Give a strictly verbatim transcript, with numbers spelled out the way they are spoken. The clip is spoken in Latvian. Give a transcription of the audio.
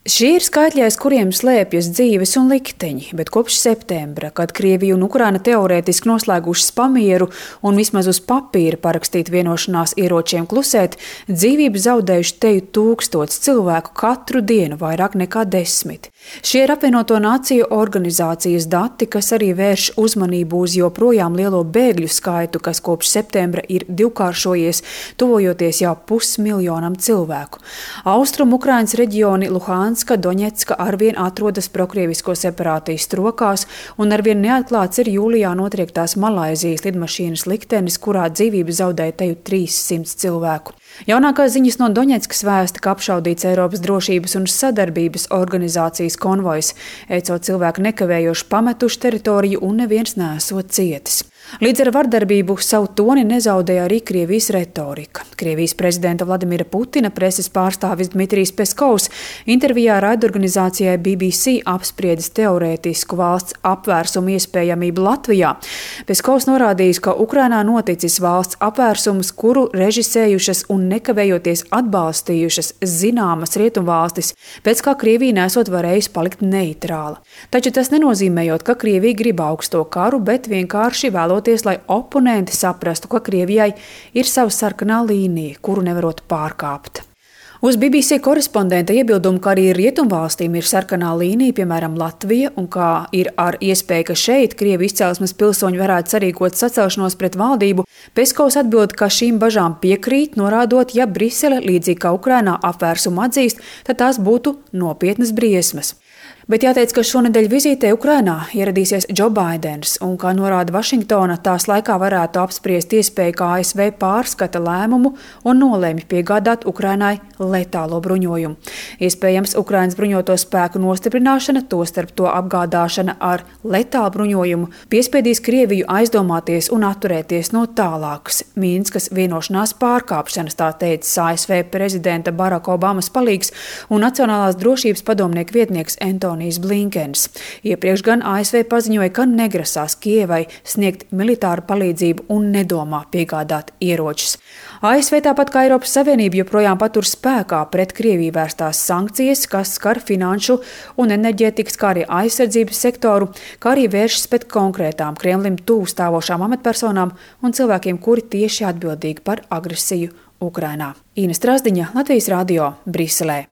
Šie ir skaitļi, aiz kuriem slēpjas dzīves un likteņi, bet kopš septembra, kad Krievija un Ukraina teorētiski noslēgušas pamieru un vismaz uz papīra parakstīt vienošanās ieročiem klusēt, dzīvību zaudējuši teju tūkstots cilvēku katru dienu, vairāk nekā desmit. Šie ir apvienoto nāciju organizācijas dati, kas arī vērš uzmanību uz joprojām lielo bēgļu skaitu, kas kopš septembra ir divkāršojies, tuvojoties jau pusmiljonam cilvēku. Austrum Ukrainas reģioni Luhanska, Doņetska arvien atrodas prokrievisko separātistu rokās, un arvien neatklāts ir jūlijā notriektās Malaizijas lidmašīnas liktenis, kurā dzīvību zaudēja teju trīssimti cilvēku. Jaunākās ziņas no Doņetskas vēsta, ka apšaudīts Eiropas drošības un sadarbības organizācijas konvojs. E C O cilvēki nekavējoši pametuši teritoriju un neviens nesot cietis. Līdz ar vardarbību savu toni nezaudēja arī Krievijas retorika. Krievijas prezidenta Vladimira Putina preses pārstāvis Dmitrijs Peskovs intervijā raidorganizācijai B B C apspriedis teorētisku valsts apvērsumu iespējamību Latvijā. Peskovs norādījis, ka Ukrainā noticis valsts apvērsums, kuru režisējušas un nekavējoties atbalstījušas zināmas rietumvalstis, pēc kā Krievija nesot varējusi palikt neitrāla. Taču tas nenozīmējot, ka Krievija grib augsto karu, bet vienkārši vēloties, lai oponenti saprastu, ka Krievijai ir sava sarkanā līnija, kuru nevarot pārkāpt. Uz B B C korespondenta iebildumu, ka arī rietumvalstīm ir sarkanā līnija, piemēram, Latvija, un kā ir ar iespēju, ka šeit Krievu izcelsmes pilsoņi varētu sarīkot sacelšanos pret valdību, Peskovs atbild, ka šīm bažām piekrīt, norādot, ja Brisele, līdzīgi kā Ukrainā, apvērsumu atzīst, tad tās būtu nopietnas briesmas. Bet jāteic, ka šonedēļ vizītē Ukrainā ieradīsies Džo Baidens, un, kā norāda Vašingtona, tās laikā varētu apspriest iespēju, ka A S V pārskata lēmumu un nolēmi piegādāt Ukrainai letālo bruņojumu. Iespējams, Ukrainas bruņoto spēku nostiprināšana, tostarp to apgādāšana ar letālu bruņojumu, piespiedīs Krieviju aizdomāties un atturēties no tālākas Minskas vienošanās pārkāpšanas, tā teicis A S V prezidenta Baraka Obamas palīgs un Nacionālās drošības padomnieka vietnieks Antonijs Blinkens. Iepriekš gan A S V paziņoja, ka negrasās Kijevai sniegt militāru palīdzību un nedomā piegādāt ieročus. A S V tāpat kā Eiropas Savienība joprojām patur spēkā pret Krieviju vērstās sankcijas, kas skar finanšu un enerģētikas, kā arī aizsardzības sektoru, kā arī vēršas pret konkrētām Kremlim tuvu stāvošām amatpersonām un cilvēkiem, kuri tieši atbildīgi par agresiju Ukrainā. Īna Strasdiņa, Latvijas radio, Briselē.